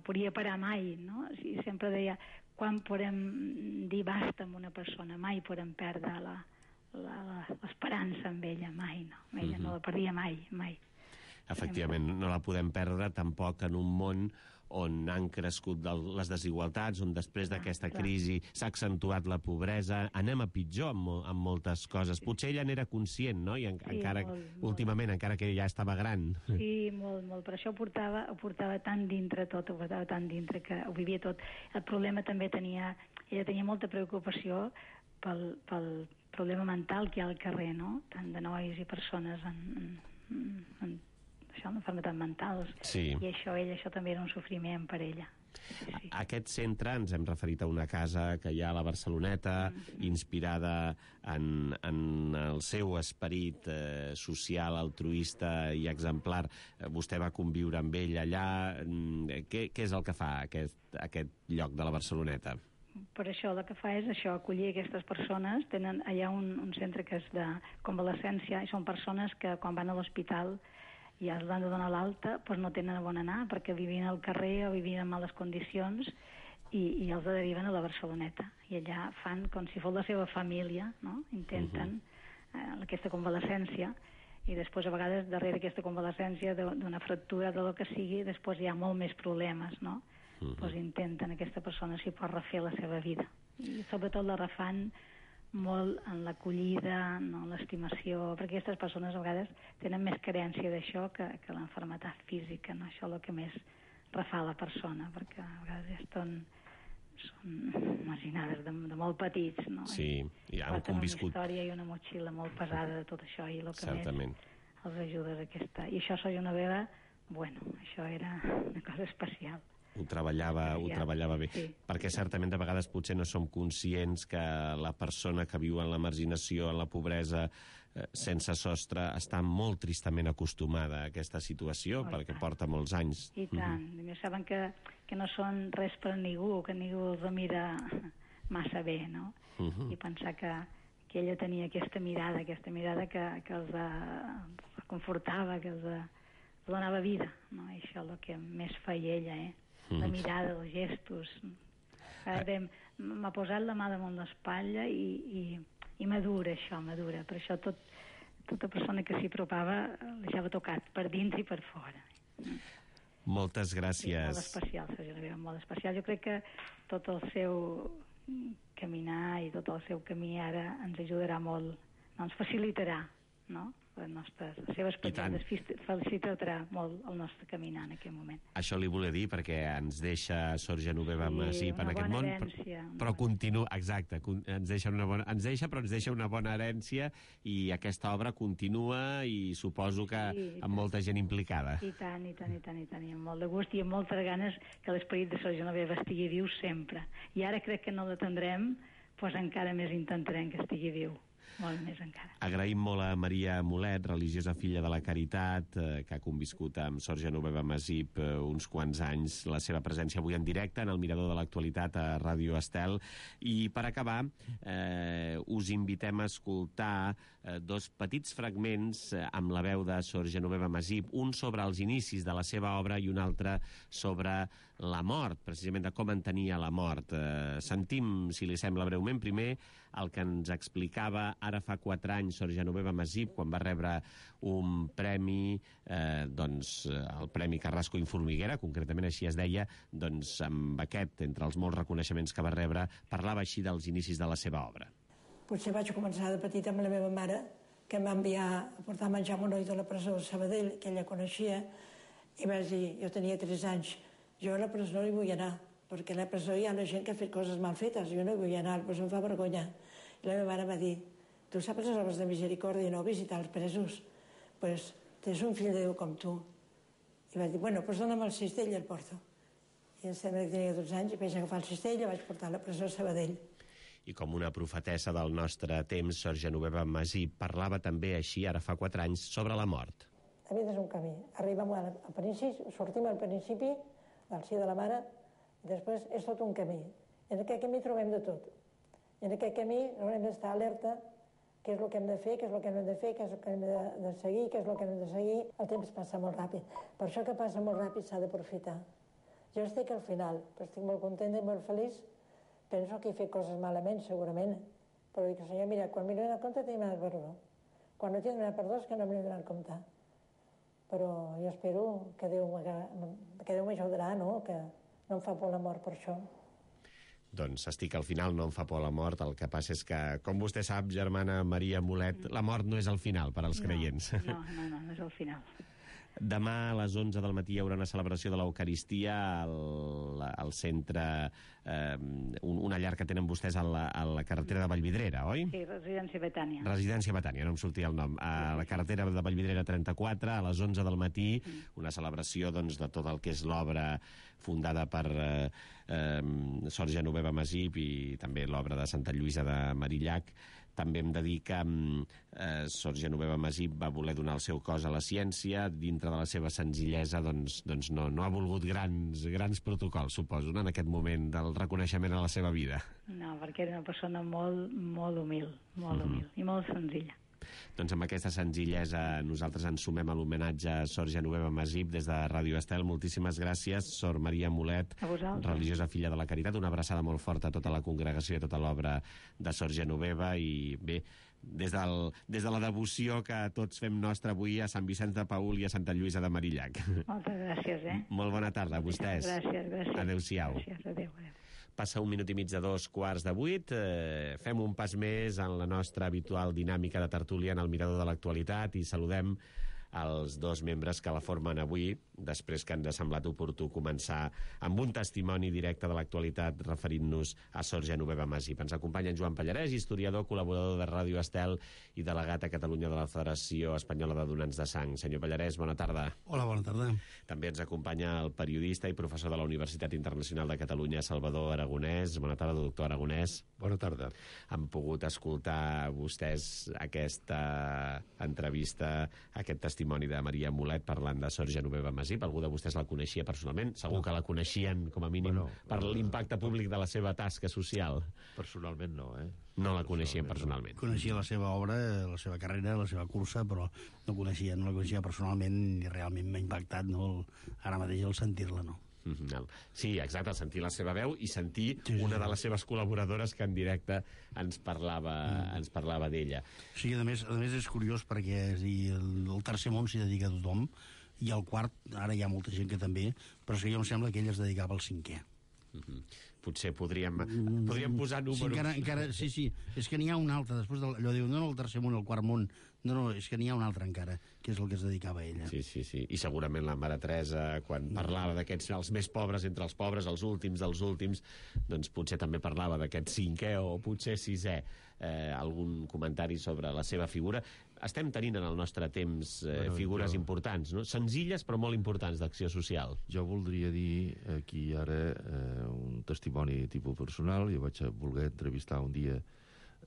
podia parar mai, no? I sempre deia, quan podem dir basta amb una persona? Mai podem perdre l'esperança amb ella, mai, no. Ella no la perdia mai. Efectivament, no la podem perdre tampoc en un món on han crescut les desigualtats, on després d'aquesta crisi s'ha accentuat la pobresa, anem a pitjor amb moltes coses. Potser ella n'era conscient, no? I encara últimament, encara que ja estava gran. Sí, molt. Per això ho portava tan dintre tot, ho portava tan dintre que ho vivia tot. El problema també ella tenia molta preocupació pel problema mental que hi ha al carrer, no? Tant de nois i persones amb enfermetats mentals. Sí. I això també era un sofriment per ella. Sí. Aquest centre, ens hem referit a una casa que hi ha a la Barceloneta, inspirada en el seu esperit social, altruista i exemplar. Vostè va conviure amb ell allà. Què és el que fa aquest lloc de la Barceloneta? Per això el que fa és acollir aquestes persones. Tenen allà un centre que és de convalescència i són persones que quan van a l'hospital i els han de donar l'alta, doncs no tenen on anar perquè vivien al carrer o vivien en males condicions i els deriven a la Barceloneta. I allà fan com si fos la seva família, no? Intenten aquesta convalescència i després a vegades darrere aquesta convalescència d'una fractura de lo que sigui, després hi ha molt més problemes, no? Doncs intenten aquesta persona si pot refer la seva vida. I sobretot la refan molt en l'acollida, no, en l'estimació, perquè aquestes persones a vegades tenen més carència d'això que l'enfermetat física, no? Això és el que més refà la persona, perquè a vegades són marginades de molt petits, no? Sí, i han conviscut una història i una motxilla molt pesada de tot això, i el que certament més els ajuda és aquesta. I això Sor Genoveva, això era una cosa especial. Ho treballava bé, sí. Perquè certament de vegades potser no som conscients que la persona que viu en la marginació, en la pobresa, sense sostre, està molt tristament acostumada a aquesta situació, perquè porta molts anys. I tant, saben que no són res per ningú, que ningú els mira massa bé, no? I pensar que ella tenia aquesta mirada que els confortava, que els donava vida, no? I això és el que més feia ella, la mirada, els gestos. M'ha posat la mà damunt l'espatlla i madura. Per això tota persona que s'hi apropava l'haixava tocat per dins i per fora. Moltes gràcies. Molt especial, Sor Genoveva, molt especial. Jo crec que tot el seu caminar i tot el seu camí ara ens ajudarà molt, ens facilitarà, no? Les seves petites facilitarà molt el nostre caminar en aquest moment. Això li volia dir perquè ens deixa Sor Genoveva Masip en aquest món, però continua, exacte, ens deixa una bona herència i aquesta obra continua i suposo que amb molta gent implicada. I tant, i amb molt de gust i amb moltes ganes que l'esperit de Sor Genoveva estigui viu sempre. I ara crec que no l'atendrem, doncs encara més intentarem que estigui viu. Molt més encara. Agraïm molt a Maria Mulet, religiosa filla de la Caritat, que ha conviscut amb Sor Genoveva Masip uns quants anys, la seva presència avui en directe en el Mirador de l'Actualitat a Ràdio Estel. I per acabar, us invitem a escoltar dos petits fragments amb la veu de Sor Genoveva Masip, un sobre els inicis de la seva obra i un altre sobre la mort, precisament de com entenia la mort. Sentim, si li sembla breument, primer el que ens explicava ara fa 4 anys Sor Genoveva Masip quan va rebre un premi, el Premi Carrasco i Formiguera, concretament així es deia, doncs amb aquest, entre els molts reconeixements que va rebre, parlava així dels inicis de la seva obra. Potser vaig començar de petita amb la meva mare, que em va enviar a portar a menjar monoi de la presó de Sabadell, que ella coneixia, i vaig dir, jo tenia 3 anys, jo a la presó no hi vull anar, perquè a la presó hi ha la gent que ha fet coses mal fetes, jo no hi vull anar, però em fa vergonya. I la meva mare va dir, tu saps les obres de misericòrdia, no visitar els presos? Doncs tens un fill de Déu com tu. I vaig dir, bueno, doncs dona'm el cistell i el porto. I em sembla que tenia 12 anys i vaig agafar el cistell i vaig portar a la presó a Sabadell. I com una profetessa del nostre temps, Sor Genoveva Masip parlava també així, ara fa 4 anys, sobre la mort. La vida és un camí. Arribem al principi, sortim al principi del si de la mare, i després és tot un camí. En aquest camí trobem de tot. I en aquest camí haurem d'estar alerta què és el que hem de fer, què és el que no hem de fer, què és el que hem de seguir, què és el que no hem de seguir. El temps passa molt ràpid. Per això que passa molt ràpid s'ha d'aprofitar. Jo estic al final, però estic molt contenta i molt feliç. Penso que he fet coses malament, segurament, però dic, senyor, mira, quan m'he donat compte t'he donat perdó. Quan no t'he donat perdó és que no m'he donat compte. Però jo espero que Déu m'ajudarà, no? Que no em fa por la mort per això. Doncs estic al final, no em fa por la mort. El que passa és que, com vostè sap, germana Maria Mulet, la mort no és el final per als creients. No és el final. Demà a les 11 del matí hi haurà una celebració de l'Eucaristia al centre, una llar que tenen vostès a la carretera de Vallvidrera, oi? Sí, Residència Betània. Residència Betània, no em sortia el nom. A la carretera de Vallvidrera 34, a les 11 del matí, una celebració doncs, de tot el que és l'obra fundada per Sor Genoveva Masip i també l'obra de Santa Lluïsa de Marillac. També hem de dir que Sor Genoveva Masip va voler donar el seu cos a la ciència, dintre de la seva senzillesa doncs no ha volgut grans protocols, suposo, en aquest moment del reconeixement a la seva vida. No, perquè era una persona molt humil i molt senzilla. Doncs amb aquesta senzillesa nosaltres ens sumem a l'homenatge a Sor Genoveva Masip des de Ràdio Estel. Moltíssimes gràcies, Sor Maria Mulet, religiosa filla de la Caritat. Una abraçada molt forta a tota la congregació i a tota l'obra de Sor Genoveva. I bé, des de la devoció que tots fem nostra avui a Sant Vicenç de Paül i a Santa Lluïsa de Marillac. Moltes gràcies, Molt bona tarda a vostès. Gràcies. Adéu-siau. Gràcies, adéu. Passa 1 minut i mig de 2:15. Fem un pas més en la nostra habitual dinàmica de tertúlia en el mirador de l'actualitat i saludem els dos membres que la formen avui, després que ens ha semblat oportú començar amb un testimoni directe de l'actualitat referint-nos a Sor Genoveva Masip. Ens acompanya en Joan Pallarès, historiador, col·laborador de Ràdio Estel i delegat a Catalunya de la Federació Espanyola de Donants de Sang. Senyor Pallarès, bona tarda. Hola, bona tarda. També ens acompanya el periodista i professor de la Universitat Internacional de Catalunya, Salvador Aragonès. Bona tarda, doctor Aragonès. Bona tarda. Han pogut escoltar vostès aquesta entrevista, aquest testimoni de Maria Mulet parlant de Sor Genoveva Masip. Algú de vostès la coneixia personalment? Segur que la coneixien, com a mínim, per l'impacte públic de la seva tasca social. Personalment no, No la coneixien personalment. Coneixia la seva obra, la seva carrera, la seva cursa, però no la coneixia personalment i realment m'ha impactat, no? Ara mateix el sentir-la, no? Sí, exacte, el sentir la seva veu i sentir una de les seves col·laboradores que en directe ens parlava d'ella. Sí, a més és curiós perquè el tercer món s'hi dedica a tothom i el quart, ara hi ha molta gent que també, però és que jo em sembla que ell es dedicava al cinquè. Potser podríem posar números. Sí, encara, sí, és que n'hi ha un altre, després allò diu, no el tercer món, el quart món, no, és que n'hi ha un altre encara, que és el que es dedicava a ella. Sí, i segurament la Mare Teresa, quan parlava d'aquests, els més pobres entre els pobres, els últims dels últims, doncs potser també parlava d'aquest cinquè o potser sisè. Algun comentari sobre la seva figura. Estem tenint en el nostre temps figures importants, no? Senzilles però molt importants d'acció social. Jo voldria dir aquí ara un testimoni tipus personal. Jo vaig voler entrevistar un dia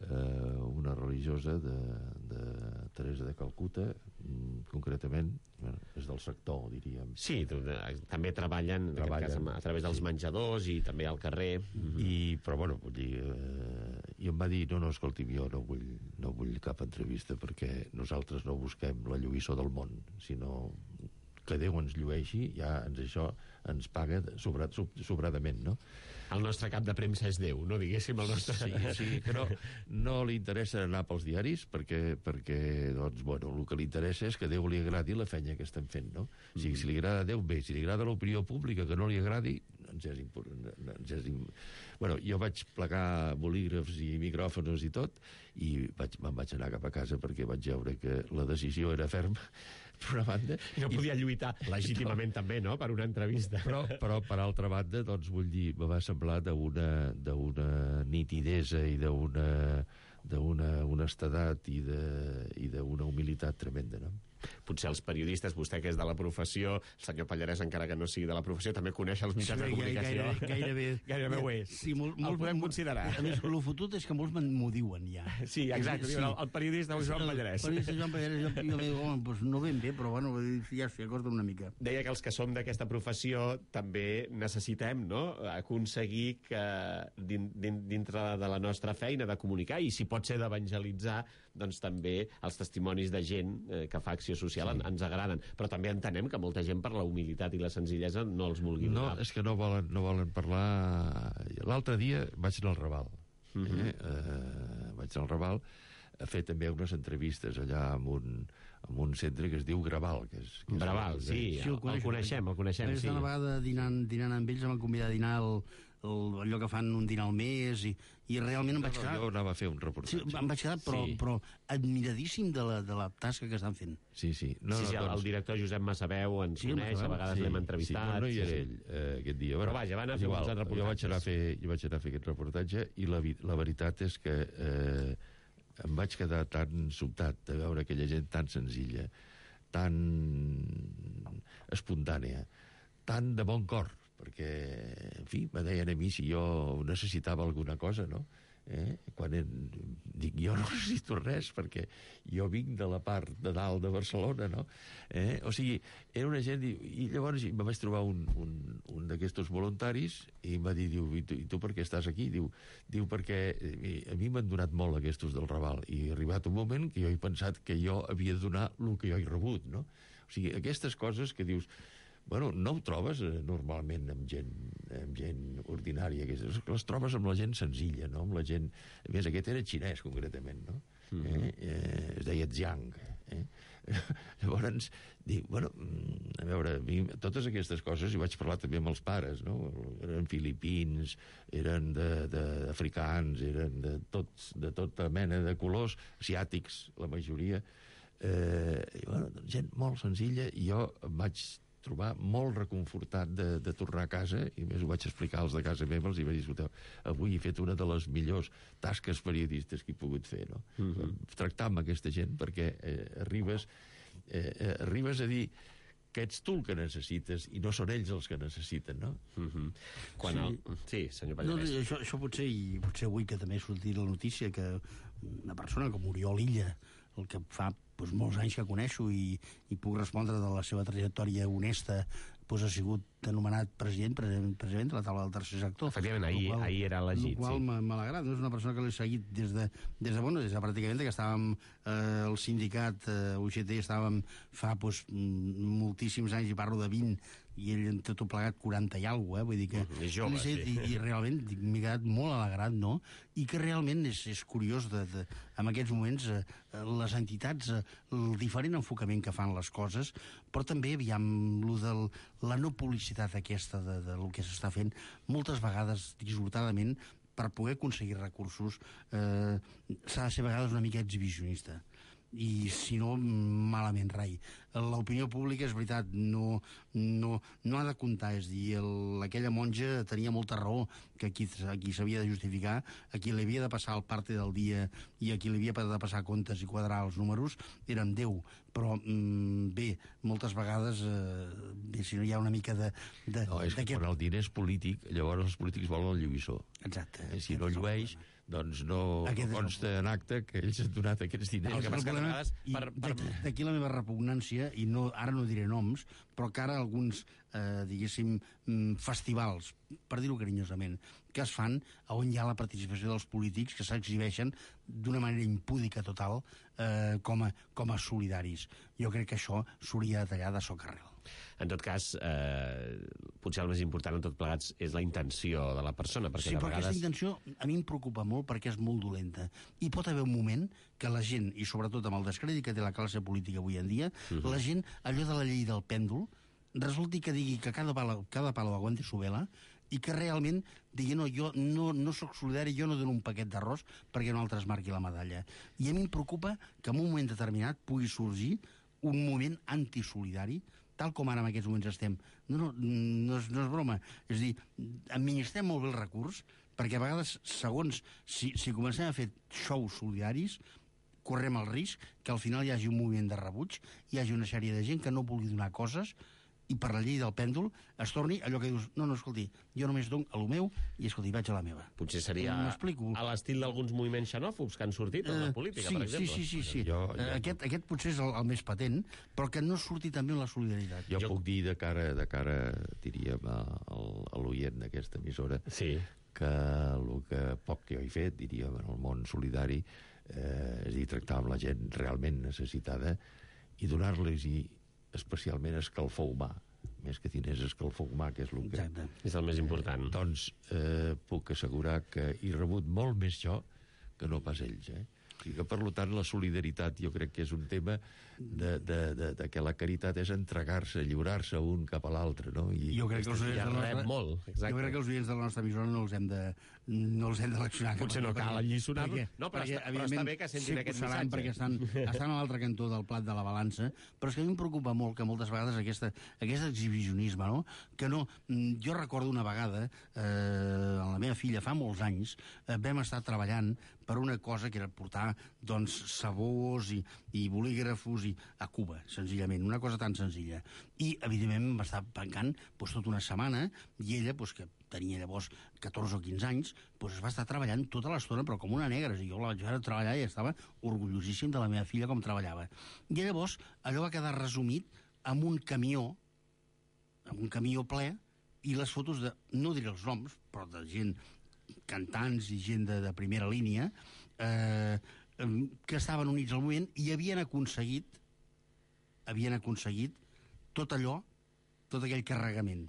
una religiosa de Teresa de Calcuta, concretament, és del sector, diríem. Sí, també treballen en aquest cas, a través dels menjadors i també al carrer. Però, bueno, vull dir, i em va dir, no, escolti'm, jo no vull cap entrevista perquè nosaltres no busquem la lluïssor del món, sinó que Déu ens llueixi, ja això ens paga sobradament, no? El nostre cap de premsa és Déu, no diguéssim el nostre... Sí, però no li interessa anar pels diaris perquè doncs, bueno, el que li interessa és que a Déu li agradi la feina que estem fent, no? O sigui, si li agrada a Déu, bé, si li agrada l'opinió pública que no li agradi, Bueno, jo vaig plegar bolígrafs i micròfons i tot, i me'n vaig anar cap a casa perquè vaig veure que la decisió era ferma, per una banda. No podia lluitar legítimament també, no?, per una entrevista. Però per altra banda, doncs, vull dir, me va semblar d'una nitidesa i d'una honestedat i d'una humilitat tremenda, no? Potser els periodistes, vostè que és de la professió, el senyor Pallarès, encara que no sigui de la professió, també coneix els mitjans de comunicació. Gairebé ho és. Sí, el podem considerar. A més, el fotut és que molts m'ho diuen, ja. Sí, exacte. Sí. El periodista Joan Pallarès. El periodista Joan Pallarès, jo dic, doncs no ben bé, però bueno, ja s'hi acosta una mica. Deia que els que som d'aquesta professió també necessitem, no?, aconseguir que dintre de la nostra feina de comunicar, i si pot ser d'evangelitzar, doncs també els testimonis de gent que fa acció d'acció social ens agraden, però també entenem que molta gent per la humilitat i la senzillesa no els vulgui donar. No, és que no volen parlar... L'altre dia vaig anar al Raval. Vaig anar al Raval a fer també unes entrevistes allà en un centre que es diu Graval. Graval, sí, el coneixem, sí. Una vegada dinant amb ells em van convidar a dinar allò que fan un dinar al mes i realment em vaig quedar... Jo anava a fer un reportatge. Sí, em vaig quedar, però admiradíssim de la tasca que estan fent. Sí. El director Josep Massaveu ens coneix, a vegades l'hem entrevistat. No hi era ell aquest dia. Però vaja, van a fer uns altres reportatges. Jo vaig anar a fer aquest reportatge i la veritat és que em vaig quedar tan sobtat de veure aquella gent tan senzilla, tan espontània, tan de bon cor, perquè, en fi, me deien a mi si jo necessitava alguna cosa, no? Quan dic, jo no necessito res, perquè jo vinc de la part de dalt de Barcelona, no? O sigui, era una gent... I llavors me vaig trobar un d'aquests voluntaris i em va dir, diu, i tu per què estàs aquí? Diu, perquè a mi m'han donat molt aquests del Raval i ha arribat un moment que jo he pensat que jo havia de donar el que jo he rebut, no? O sigui, aquestes coses que dius... Bueno, no ho trobes normalment amb gent ordinària, que les trobes amb la gent senzilla, no? Amb la gent... A més, aquest era xinès, concretament, no? Es deia Zhang. Llavors, dic, bueno, a veure, totes aquestes coses, i vaig parlar també amb els pares, no? Eren filipins, eren d'africans, eren de tota mena de colors, asiàtics, la majoria. I, bueno, gent molt senzilla, i jo em vaig trobar molt reconfortat de tornar a casa, i més ho vaig explicar als de casa meva, els hi vaig dir, escolteu, avui he fet una de les millors tasques periodistes que he pogut fer, no? Tractar amb aquesta gent, perquè arribes a dir que ets tu el que necessites i no són ells els que necessiten, no? Sí, senyor Pallarès. Això potser avui que també ha sortit la notícia que una persona com Oriol Illa, el que fa molts anys que coneixo i puc respondre de la seva trajectòria honesta, ha sigut anomenat president de la taula del tercer sector. Efectivament, ahir era elegit. El qual m'ha alegrat. És una persona que l'he seguit des de pràcticament que estàvem al sindicat UGT, estàvem fa moltíssims anys, i parlo de 20, i ell en tot plegat 40 i alguna cosa, vull dir que... És jove, sí. I realment m'he quedat molt alegrat, no? I que realment és curiós en aquests moments les entitats, el diferent enfocament que fan les coses, però també, aviam, la no publicitat aquesta del que s'està fent, moltes vegades, dissortadament, per poder aconseguir recursos, s'ha de ser a vegades una mica exhibicionista. I si no, malament rai. L'opinió pública, és veritat, no ha de comptar, és dir, aquella monja tenia molta raó, que aquí s'havia de justificar, a qui li havia de passar el parte del dia i a qui li havia de passar comptes i quadrar els números era en Déu, però bé, moltes vegades si no hi ha una mica de... No, és que quan el diner és polític, llavors els polítics volen el lluïssor. Exacte. Si no llueix, doncs no consta en acte que ells han donat aquests diners. D'aquí la meva repugnància, i ara no diré noms, però que ara alguns, diguéssim, festivals, per dir-ho carinyosament, que es fan on hi ha la participació dels polítics, que s'exhibeixen d'una manera impúdica total com a solidaris. Jo crec que això s'hauria de tallar de socarrel. En tot cas, potser el més important en tot plegats és la intenció de la persona, perquè sí, de però vegades... aquesta intenció a mi em preocupa molt perquè és molt dolenta. I pot haver un moment que la gent, i sobretot amb el descrèdit que té la classe política avui en dia, la gent, allò de la llei del pèndol, resulti que digui que cada palo aguante su vela, i que realment digui, no, jo no soc solidari, jo no dono un paquet d'arròs perquè un altre es marqui la medalla. I a mi em preocupa que en un moment determinat pugui sorgir un moment antisolidari, tal com ara en aquests moments estem. No és broma. És a dir, administrem molt bé el recurs, perquè a vegades, segons, si comencem a fer xous solidaris, correm el risc que al final hi hagi un moviment de rebuig, hi hagi una sèrie de gent que no vulgui donar coses, i per la llei del pèndol es torni allò que dius, no, escolti, jo només dono a lo meu i, escolti, vaig a la meva. Potser seria a l'estil d'alguns moviments xenòfobs que han sortit en la política, per exemple. Sí. Aquest potser és el més patent, però que no surti també en la solidaritat. Jo puc dir de cara diríem, a l'oient d'aquesta emissora, que el que poc que jo he fet, diríem, en el món solidari, és dir, tractar amb la gent realment necessitada i donar-los especialment escalfor humà, més que diners, escalfor humà, que és el que... Exacte. És el més important. Doncs puc assegurar que he rebut molt més jo que no pas ells, O sigui que, per tant, la solidaritat jo crec que és un tema de que la caritat és entregar-se, lliurar-se un cap a l'altre, no? Jo crec que els oients de la rep molt, exacte. Jo crec que els oients de la nostra emissora no els hem d'eleccionar. Potser no cal alliçonar-los. No, però està bé que sentin aquest missatge. Perquè estan a l'altre cantó del plat de la balança, però és que a mi em preocupa molt que moltes vegades aquest exhibicionisme, no? Que no... Jo recordo una vegada, amb la meva filla, fa molts anys, vam estar treballant per una cosa que era portar, doncs, sabors i bolígrafos a Cuba, senzillament, una cosa tan senzilla. I, evidentment, em va estar pencant tota una setmana, i ella, que tenia llavors 14 o 15 anys, es va estar treballant tota l'estona, però com una negra. Jo la vaig veure treballar i estava orgullosíssim de la meva filla com treballava. I llavors allò va quedar resumit amb un camió ple, i les fotos de, no diré els noms, però de gent, cantants i gent de primera línia, que estaven units al moviment i havien aconseguit tot allò, tot aquell carregament.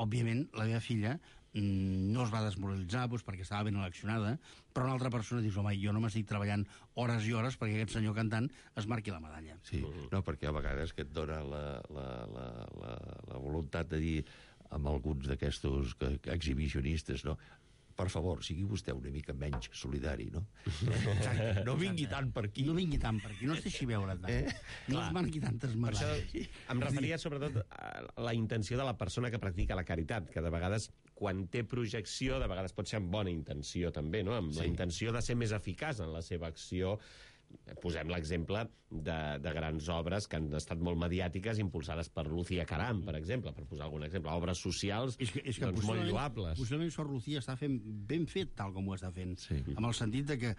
Òbviament, la meva filla no es va desmoralitzar perquè estava ben eleccionada, però una altra persona dius, home, jo no m'estic treballant hores i hores perquè aquest senyor cantant es marqui la medalla. Sí, no, perquè a vegades que et dona la voluntat de dir amb alguns d'aquestos exhibicionistes, no? Per favor, sigui vostè una mica menys solidari, no? No vingui tant per aquí. No vingui tant per aquí, no es deixi veure tant. No es marqui tantes medalles. Per això em referia sobretot a la intenció de la persona que practica la caritat, que de vegades, quan té projecció, de vegades pot ser amb bona intenció també, no? Amb la intenció de ser més eficaç en la seva acció. Posem l'exemple de grans obres que han estat molt mediàtiques, impulsades per Lucía Caram, per exemple, per posar algun exemple. Obres socials doncs, molt lloables. Possiblement Sor Lucía està fent ben fet tal com ho està fent, amb el sentit de que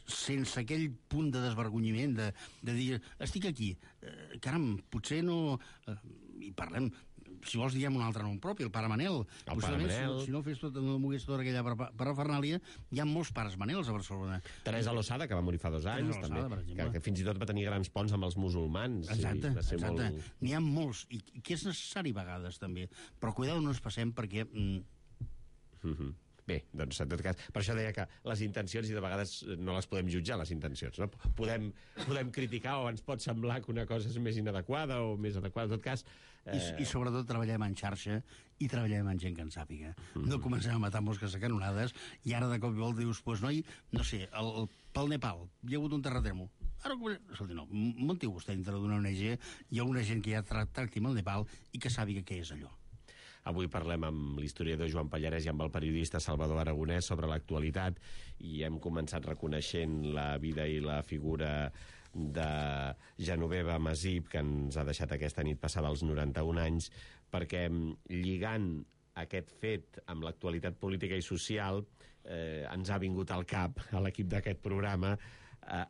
sense aquell punt de desvergonyiment de dir, estic aquí, caram, potser no... I parlem... Si vols diguem un altre nom propi, el pare Manel. El pare Manel. Si no mogués tota aquella parafernàlia, hi ha molts pares Manels a Barcelona. Teresa Losada, que va morir fa 2 anys, també, que fins i tot va tenir grans ponts amb els musulmans. Exacte. N'hi ha molts, i que és necessari a vegades, també. Però cuidado, no ens passem, perquè... Bé, doncs en tot cas, per això deia que les intencions, i de vegades no les podem jutjar, les intencions, no? Podem criticar, o ens pot semblar que una cosa és més inadequada o més adequada, en tot cas... I sobretot treballem en xarxa i treballem en gent que en sàpiga. No comencem a matar mosques a canonades i ara de cop i volta dius, noi, no sé, pel Nepal hi ha hagut un terratrèmol. Ara, escolti, no, munti vostè dintre d'una ONG, hi ha una gent que ja tracti amb el Nepal i que sàpiga què és allò. Avui parlem amb l'historiador Joan Pallarès i amb el periodista Salvador Aragonès sobre l'actualitat, i hem començat reconeixent la vida i la figura de Genoveva Masip, que ens ha deixat aquesta nit passada als 91 anys, perquè lligant aquest fet amb l'actualitat política i social ens ha vingut al cap, a l'equip d'aquest programa,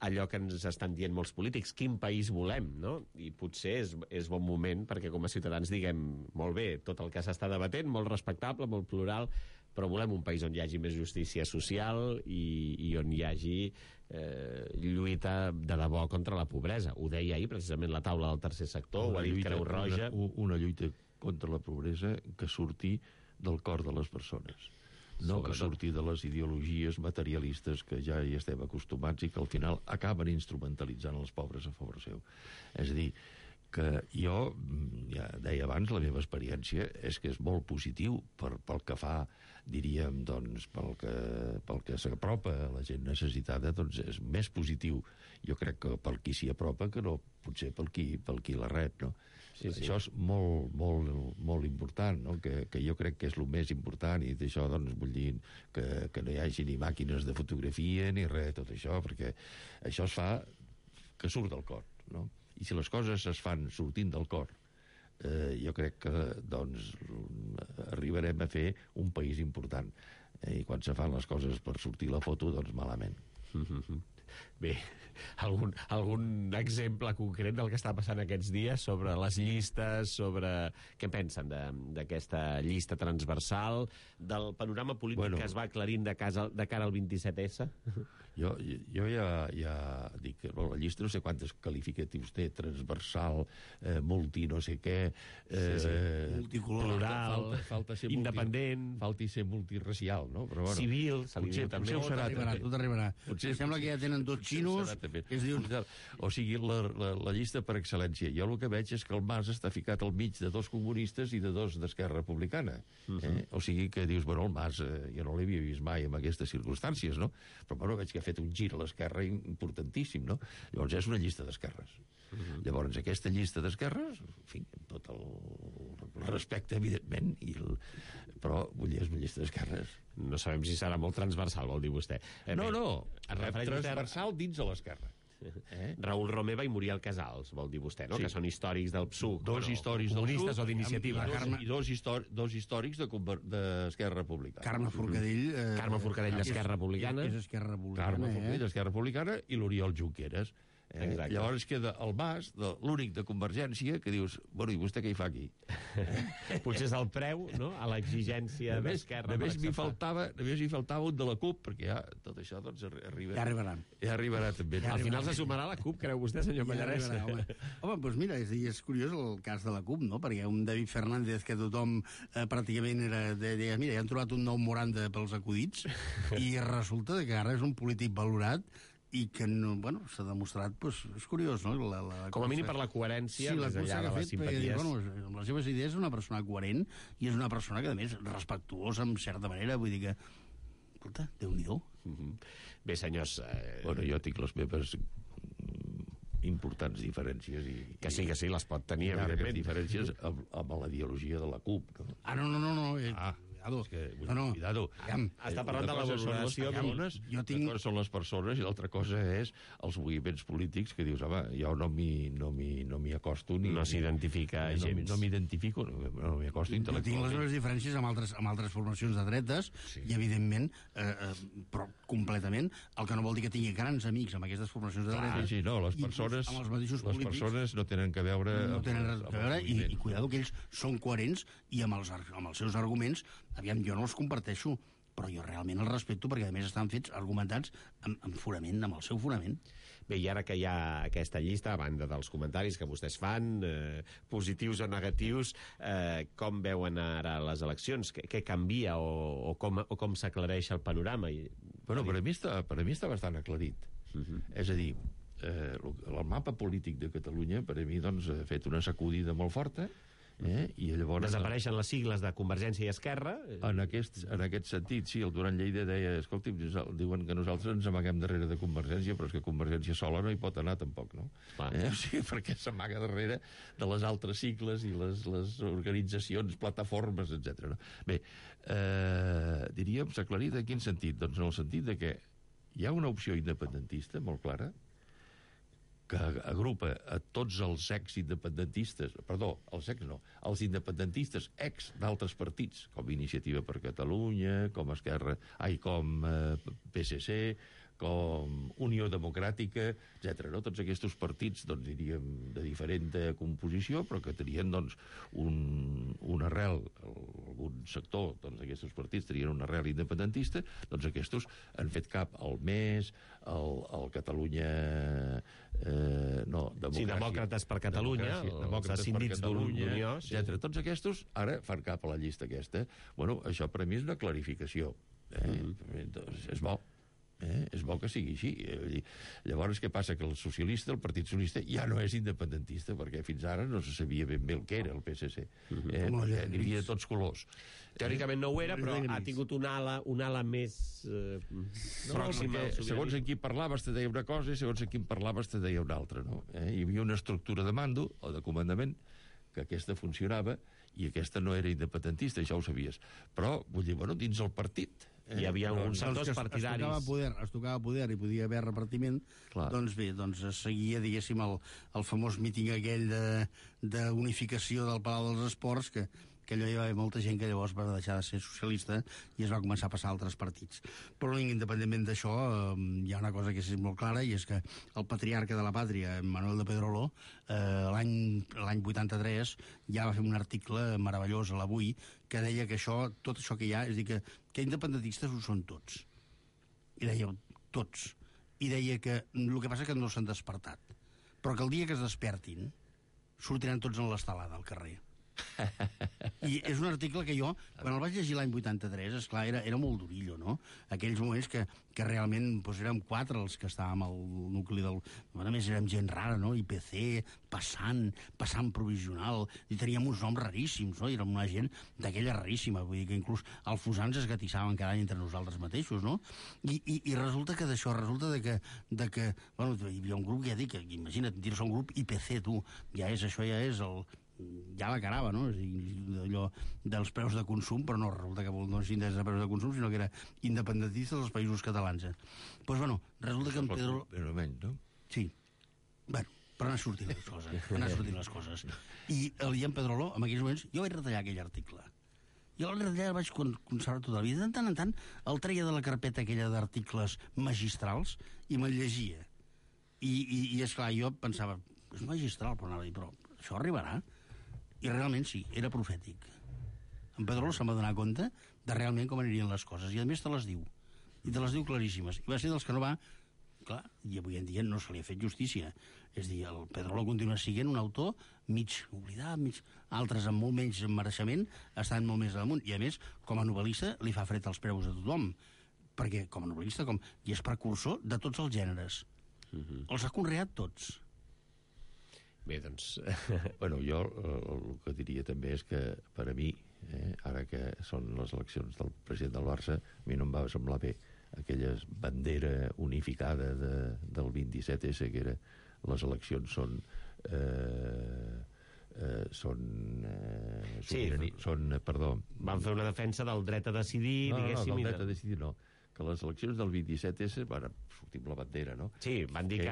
allò que ens estan dient molts polítics, quin país volem, no? I potser és bon moment perquè com a ciutadans diguem, molt bé, tot el que s'està debatent, molt respectable, molt plural, però volem un país on hi hagi més justícia social i on hi hagi lluita de debò contra la pobresa. Ho deia ahir precisament la taula del tercer sector, ho ha dit Creu Roja. Una lluita contra la pobresa que surti del cor de les persones. No que surti de les ideologies materialistes que ja hi estem acostumats i que al final acaben instrumentalitzant els pobres a favor seu. És a dir, que jo, ja deia abans, la meva experiència és que és molt positiu pel que fa, diríem, doncs, pel que s'apropa a la gent necessitada, doncs és més positiu, jo crec, que pel qui s'hi apropa que no potser pel qui la rep, no? Sí. Això és molt, molt, molt important, no? Que jo crec que és el més important, i d'això doncs vull dir que no hi hagi ni màquines de fotografia ni res, tot això, perquè això es fa que surt del cor, no? I si les coses es fan sortint del cor, jo crec que doncs arribarem a fer un país important. I quan se fan les coses per sortir la foto, doncs malament. Bé, algun exemple concret del que està passant aquests dies sobre les llistes, sobre... Què pensen d'aquesta llista transversal, del panorama polític que es va aclarint de cara al 27S? Jo ja dic que la llista no sé quantes qualificatius té, transversal, multi no sé què, multicolor, plural, falta ser independent, falta ser multiracial, no? Però, bueno, civil, se li diu també. Potser ho serà, tot arribarà. Sembla que ja tenen dos xinos que es diuen... O sigui, la llista per excel·lència. Jo el que veig és que el Mas està ficat al mig de dos comunistes i de dos d'Esquerra Republicana. O sigui que dius, bueno, el Mas jo no l'havia vist mai en aquestes circumstàncies, no? Però bueno, veig que ha fet un gir a l'esquerra importantíssim, no? Llavors és una llista d'esquerres. Llavors aquesta llista d'esquerres, en fi, amb tot el respecte, evidentment, però vull dir, és una llista d'esquerres. No sabem si serà molt transversal, vol dir vostè. No, transversal dins de l'esquerra. Raül Romeva i Muriel Casals, vol dir vostè, no? Sí. Que són històrics del PSUC. Dos històrics del comunistes PSUC o d'iniciativa. i dos històrics d'Esquerra Republicana. Carme Forcadell... Carme Forcadell d'Esquerra Republicana. És Esquerra Republicana, Carme Forcadell d'Esquerra Republicana i l'Oriol Junqueras. Llavors queda el Mas, l'únic de Convergència, que dius, bueno, i vostè què hi fa aquí? Potser és el preu, no?, a l'exigència d'Esquerra. Només m'hi faltava un de la CUP, perquè ja tot això doncs arriba. Ja arribaran. Ja arribarà també. Al final se sumarà la CUP, creu vostè, senyor Pallarès? Home, doncs mira, és curiós el cas de la CUP, no? Perquè un David Fernández que tothom pràcticament deia, mira, ja han trobat un nou Moranda pels acudits, i resulta que ara és un polític valorat i que, bueno, s'ha demostrat, doncs, és curiós, no? Com a mínim per la coherència, més enllà de les simpaties. Bueno, amb les seves idees és una persona coherent i és una persona que, a més, respectuosa, en certa manera, vull dir que, escolta, Déu-n'hi-do. Bé, senyors... Bueno, jo tinc les meves importants diferències i... Que sí, les pot tenir, evidentment. Diferències amb la ideologia de la CUP, no? No. Cuidado. Està parlant de la valoració. Una cosa són les persones i l'altra cosa és els moviments polítics que dius, home, jo no m'hi acosto ni... No s'identifica gens. No m'identifico, no m'hi acosto intel·lectualment. Jo tinc les meves diferències amb altres formacions de dretes i, evidentment, però completament, el que no vol dir que tingui grans amics amb aquestes formacions de dretes. Sí, no, les persones no tenen que veure... No tenen res a veure i cuidado que ells són coherents i amb els seus arguments, aviam, jo no els comparteixo, però jo realment els respecto perquè, a més, estan fets argumentats amb fonament, amb el seu fonament. Bé, i ara que hi ha aquesta llista, a banda dels comentaris que vostès fan, positius o negatius, com veuen ara les eleccions? Què canvia o com s'aclareix el panorama? Bueno, per a mi està bastant aclarit. És a dir, el mapa polític de Catalunya, per a mi, doncs, ha fet una sacudida molt forta, i llavors... Desapareixen les sigles de Convergència i Esquerra? En aquest sentit, sí, el Duran Lleida deia, escolti, diuen que nosaltres ens amaguem darrere de Convergència, però és que Convergència sola no hi pot anar tampoc, no? O sigui, perquè s'amaga darrere de les altres sigles i les organitzacions, plataformes, etc. Bé, diríem, s'ha aclarit en quin sentit? Doncs en el sentit de que hi ha una opció independentista molt clara, que agrupa a tots els ex-independentistes, els independentistes ex d'altres partits, com Iniciativa per Catalunya, com com PSC, com Unió Democràtica, etc. No? Tots aquests partits, doncs, diríem, de diferent composició, però que tenien, doncs, una arrel, algun sector d'aquests partits tenien una arrel independentista, doncs aquests han fet cap al MES, al Catalunya... Demòcrates per Catalunya, els escindits d'Unió, etc. Tots aquests ara fan cap a la llista aquesta. Bueno, això per a mi és una clarificació. És bo. És bo que sigui així. Llavors, què passa? Que el Partit Socialista ja no és independentista, perquè fins ara no se sabia ben bé el que era el PSC. Perquè n'hi havia de tots colors. Teòricament no ho era, però ha tingut una ala més pròxima. Segons en qui parlaves te deia una cosa i segons en qui parlaves te deia una altra. Hi havia una estructura de mando o de comandament que aquesta funcionava i aquesta no era independentista, això ho sabies. Però, vull dir, bueno, dins el partit... Hi havia uns sectors partidaris. Es tocava poder i podia haver repartiment. Clar. Doncs bé, es seguia, diguéssim, el famós míting aquell d'unificació del Palau dels Esports, que que allò hi va haver molta gent que llavors va deixar de ser socialista i es va començar a passar a altres partits. Però independentment d'això, hi ha una cosa que és molt clara, i és que el patriarca de la pàtria, Manuel de Pedrolo, l'any 83 ja va fer un article meravellós a l'Avui que deia que tot això que hi ha, és a dir, que independentistes ho són tots. I deia, tots. I deia que el que passa és que no s'han despertat, però que el dia que es despertin sortiran tots en l'estelada al carrer. I és un article que jo, quan el vaig llegir l'any 83, esclar, era molt durillo, no? Aquells moments que realment érem 4 els que estàvem al nucli del... A més, érem gent rara, no? IPC, passant provisional, i teníem uns noms raríssims, no? I érem una gent d'aquella raríssima, vull dir que inclús els fusans es gatissaven cada any entre nosaltres mateixos, no? I resulta que d'això, resulta de que bueno, hi havia un grup, ja dic, imagina't, dir-se un grup IPC, tu, això ja és ja la carava, no? És a dir, allò dels preus de consum, però no, resulta que no és índex de preus de consum, sinó que era independentista dels països catalans. Doncs, bueno, resulta que en Pedro... Però menys, no? Sí. Bueno, però han sortit les coses. I el Ian Pedrolo, en aquells moments, jo vaig retallar aquell article. Jo el retallar el vaig conservar tota la vida. De tant en tant el treia de la carpeta aquella d'articles magistrals i me'l llegia. I esclar, jo pensava, és magistral, però això arribarà? I realment sí, era profètic. En Pedrolo se'n va donar compte de realment com anirien les coses, i a més te les diu. I te les diu claríssimes. I va ser dels que no va... Clar, i avui en dia no se li ha fet justícia. És a dir, el Pedrolo continua sent un autor mig oblidat, altres amb molt menys mereixement estan molt més damunt. I a més, com a novel·lista, li fa fred als preus a tothom. Perquè com a novel·lista, i és precursor de tots els gèneres. Els ha conreat tots. Bé, doncs... Bueno, jo el que diria també és que, per a mi, ara que són les eleccions del president del Barça, a mi no em va semblar bé aquella bandera unificada del 27S, que era les eleccions són perdó... Van fer una defensa del dret a decidir, diguéssim... No, del dret a decidir no. Que les eleccions del 27S, bueno, sortim la bandera, no? Sí, van dir que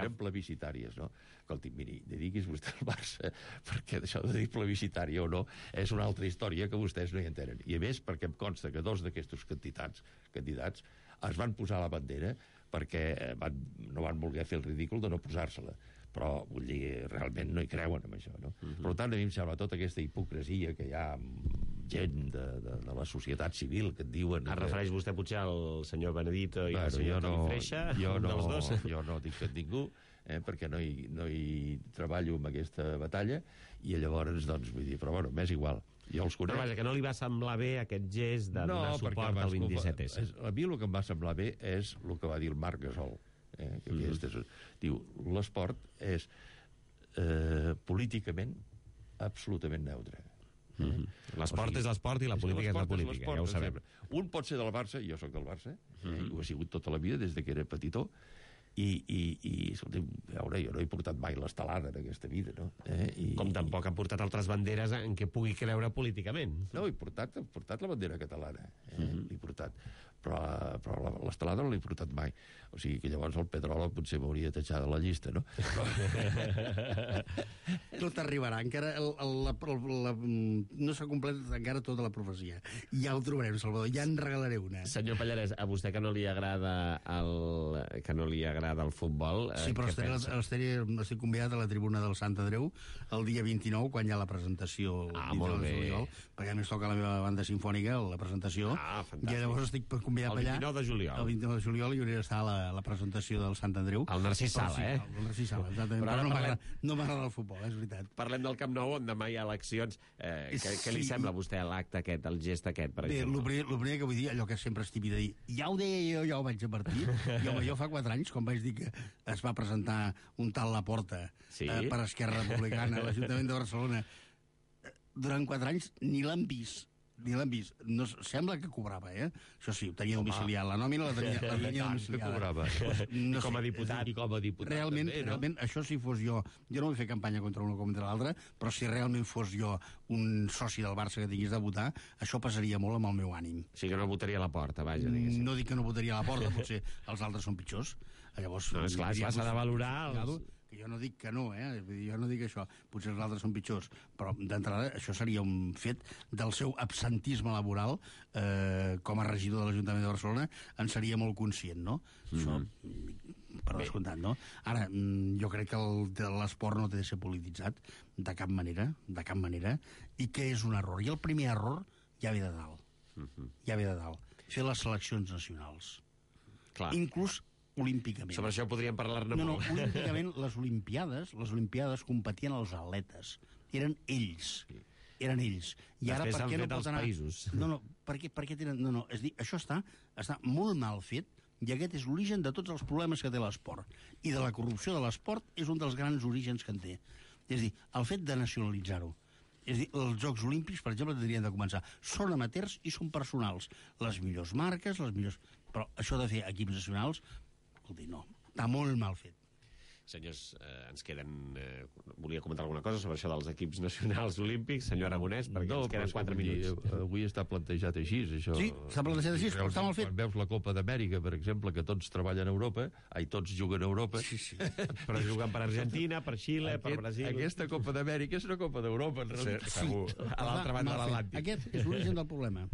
eren plebiscitàries, no? Escolti, miri, dediquis vostè al Barça, perquè això de dir plebiscitària o no és una altra història que vostès no hi entenen. I a més, perquè em consta que 2 d'aquests candidats es van posar la bandera perquè no van voler fer el ridícul de no posar-se-la. Però, vull dir, realment no hi creuen en això, no? Per tant, a mi em sembla tota aquesta hipocresia que hi ha gent de la societat civil que et diuen... Es refereix vostè potser al senyor Benedito i al senyor Toni Freixa? Dels dos? Jo no dic que ningú, perquè no hi treballo en aquesta batalla, i llavors, doncs, vull dir, però bueno, m'és igual. Jo els conec. Però vaja, que no li va semblar bé aquest gest de donar suport al 27S. A mi el que em va semblar bé és el que va dir el Marc Gasol. Diu, l'esport és políticament absolutament neutre. L'esport és l'esport i la política és la política, ja ho sabem. Un pot ser del Barça, jo sóc del Barça, ho he sigut tota la vida des que era petitó, i escolta, a veure, jo no he portat mai l'estelada en aquesta vida, no? Com tampoc ha portat altres banderes en què pugui creure políticament. No, he portat la bandera catalana, l'he portat, però l'estelada no l'he portat mai. O sigui que llavors el Pedrolo potser m'hauria de tatxar de la llista, no? Tot arribarà, encara no s'ha completat encara tota la profecia. Ja ho trobarem, Salvador, ja en regalaré una. Senyor Pallarès, a vostè que no li agrada el futbol... Sí, però estic convidat a la tribuna del Sant Andreu el dia 29, quan hi ha la presentació molt bé. Juliol, perquè a més toca la meva banda sinfònica, la presentació, i llavors estic convidat allà. El 29 de juliol. El 29 de juliol hi hauria d'estar a la presentació del Sant Andreu. El Narcís Sala, El Narcís Sala, exactament. Però no m'agrada el futbol, és veritat. Parlem del Camp Nou, on demà hi ha eleccions. Què li sembla a vostè l'acte aquest, el gest aquest, per exemple? Bé, el primer que vull dir, allò que sempre és típic de dir, ja ho deia jo, ja ho vaig advertir, jo fa 4 anys, quan vaig dir que es va presentar un tal Laporta per Esquerra Republicana a l'Ajuntament de Barcelona, durant 4 anys ni l'han vist. No, sembla que cobrava, Això sí, ho tenia domiciliat. La nòmina la tenia domiciliada. Cobrava. No, com a diputat. I com a diputat realment, també, no? Realment, això si fos jo no vull fer campanya contra un o contra l'altre, però si realment fos jo un soci del Barça que tingués de votar, això passaria molt amb el meu ànim. O sigui que no votaria a la porta, vaja, diguéssim. No dic que no votaria a la porta, potser els altres són pitjors. Llavors, no, esclar, s'ha de valorar que jo no dic que no, jo no dic això, potser els altres són pitjors, però d'entrada això seria un fet del seu absentisme laboral com a regidor de l'Ajuntament de Barcelona, en seria molt conscient, no? Això, per descomptat, no? Ara, jo crec que l'esport no té de ser polititzat de cap manera, i que és un error. I el primer error ja ve de dalt. Ja ve de dalt. Fer les seleccions nacionals. Clar. Inclús olímpicament. Sobre això podríem parlar-ne No, molt. olímpicament les Olimpiades competien els atletes. Eren ells. I ara, Després per s'han què no fet pot els anar... països. No, per què tenen... No, és dir, això està molt mal fet, i aquest és l'origen de tots els problemes que té l'esport. I de la corrupció de l'esport és un dels grans orígens que en té. És dir, el fet de nacionalitzar-ho. És dir, els Jocs Olímpics, per exemple, tindrien de començar. Són amateurs i són personals. Les millors marques, Però això de fer equips nacionals, escolti, no, està molt mal fet. Senyors, ens queden... volia comentar alguna cosa sobre això dels equips nacionals olímpics, senyor Aragonès, perquè ens queden 4 minuts. Avui està plantejat així, això. Sí, està plantejat així, però està mal fet. Quan veus la Copa d'Amèrica, per exemple, que tots treballen a Europa, tots juguen a Europa... Sí. Però juguen per Argentina, per Xile, per Brasil... Aquesta Copa d'Amèrica és una Copa d'Europa, en realitat. Segur, a l'altra banda de l'Atlàntic. Aquest és l'origen del problema.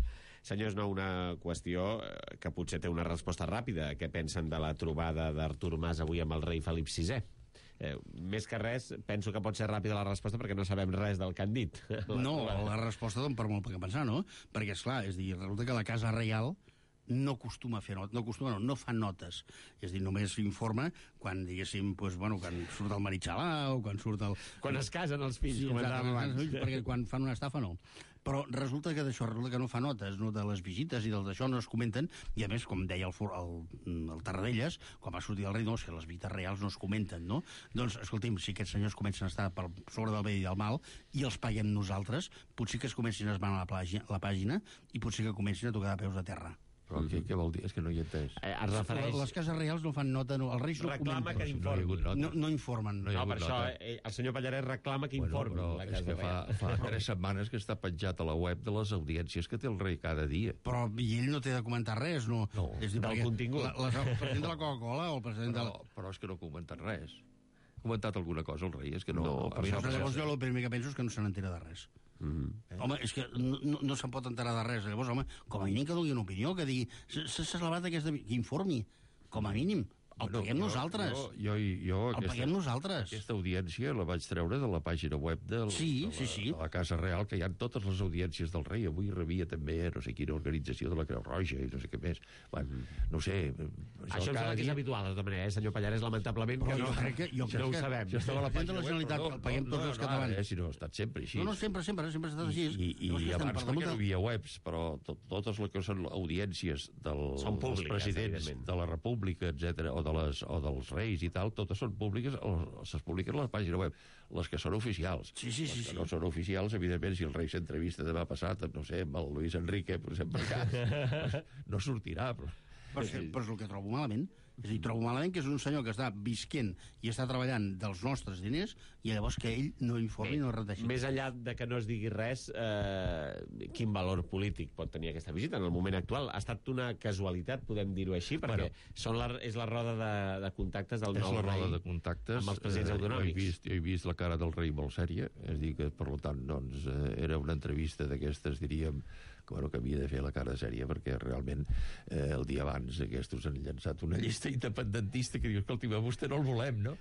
Senyors, no, una qüestió que potser té una resposta ràpida. Què pensen de la trobada d'Artur Mas avui amb el rei Felip VI? Més que res, penso que pot ser ràpida la resposta perquè no sabem res del que han dit. No, la resposta dona per molt que pensar, no? Perquè, esclar, resulta que la Casa Reial no acostuma a fer notes, no fa notes. És a dir, només informa quan, diguéssim, quan surt el Maritxalà o quan surt el... Quan es casen els fills, comentàvem abans. Perquè quan fan una estafa, no. Però resulta que no fa notes, no, de les visites i del d'això no es comenten, i a més, com deia el Tarradellas, quan va sortir el rei, no, és que les visites reals no es comenten, no? Doncs, escolti'm, si aquests senyors comencen a estar per sobre del bé i del mal i els paguem nosaltres, potser que es comencin a esbanar la pàgina i potser que comencin a tocar de peus a terra. Però què vol dir? És que no hi he entès. Es refereix... Les cases reials no fan nota, els reis no reclama comenten. que informin. No informen. No, per això el senyor Pallarès reclama que informin. Però la és Casa que Reial. fa 3 setmanes que està penjat a la web de les audiències que té el rei cada dia. Però i ell no té de comentar res, no? No, és dir, del contingut. El president de la Coca-Cola o el president de la... Però és que no ha comentat res. Ha comentat alguna cosa el rei? És que no... Llavors jo el primer que penso és que no se n'entera de res. Home, és que no se'n pot enterar de res. Llavors, home, com a mínim que doni una opinió, que digui s'ha celebrat aquesta... que informi, com a mínim. El paguem nosaltres. El paguem nosaltres. Aquesta audiència la vaig treure de la pàgina web de la Casa Real, que hi ha totes les audiències del rei. Avui rebia també no sé quina organització de la Creu Roja i no sé què més. Bueno, no sé... Això em sembla que és habitual, de tota manera, senyor Pallarès, lamentablement, que no ho sabem. Això estava a la pàgina de la Generalitat, el paguem tots els catalans. Si no, ha estat sempre així. No, sempre ha estat així. I abans perquè no hi havia webs, però totes les que són audiències dels presidents de la República, etc., o dels reis i tal, totes són públiques, es publiquen a la pàgina web. Les que són oficials. Sí. Les que no són oficials, evidentment, si el rei s'entrevista demà passat, no sé, amb el Luis Enrique, per exemple, no sortirà, però és el que trobo malament. És a dir, trobo malament que és un senyor que està visquent i està treballant dels nostres diners i llavors que ell no informi, no reteixi. Més enllà de que no es digui res, quin valor polític pot tenir aquesta visita en el moment actual? Ha estat una casualitat, podem dir-ho així, perquè és la roda de contactes del nou rei. És la roda de contactes. Amb els presidents autonòmics. Jo he vist la cara del rei molt sèria, és a dir que, per tant, doncs, era una entrevista d'aquestes, diríem, que havia de fer la cara sèria, perquè realment el dia abans aquests han llançat una llista independentista que diu, escolti, vostè no el volem, no?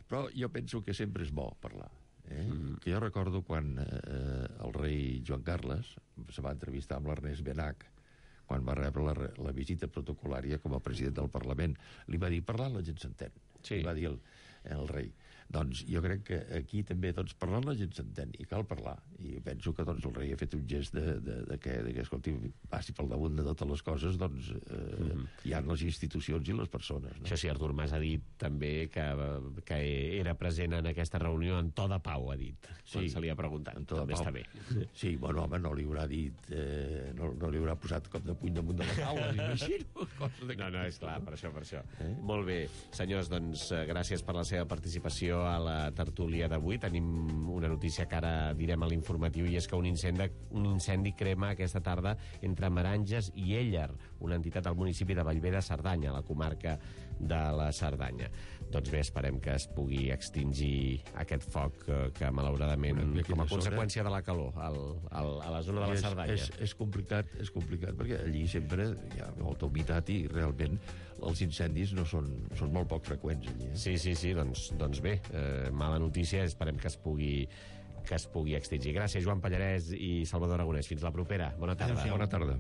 Però jo penso que sempre és bo parlar. Que jo recordo quan el rei Joan Carles se va entrevistar amb l'Ernest Benach, quan va rebre la visita protocolària com a president del Parlament. Li va dir, parlant la gent s'entén. Sí. Li va dir el rei. Doncs jo crec que aquí també parlant la gent s'entén i cal parlar, i penso que el rei ha fet un gest de que escolti, passi pel damunt de totes les coses, doncs hi ha les institucions i les persones, no? Això sí, Artur Mas ha dit també que era present en aquesta reunió en to de pau, ha dit, quan se li ha preguntat. També està bé. Sí, bueno, home, no li haurà dit no li haurà posat cop de puny damunt de la taula, m'imagino. No, és clar, per això. Molt bé, senyors, doncs gràcies per la seva participació a la tertúlia d'avui. Tenim una notícia que ara direm a l'informatiu, i és que un incendi crema aquesta tarda entre Meranges i Éller, una entitat del municipi de Bellver de Cerdanya, a la comarca de la Cerdanya. Doncs bé, esperem que es pugui extingir aquest foc que malauradament, com a conseqüència de la calor a la zona de la Cerdanya. És complicat, perquè allí sempre hi ha molta humitat i realment els incendis són molt poc freqüents allí. Sí, doncs bé, mala notícia, esperem que es pugui extingir. Gràcies, Joan Pallarès i Salvador Aragonès. Fins la propera. Bona tarda. Bona tarda.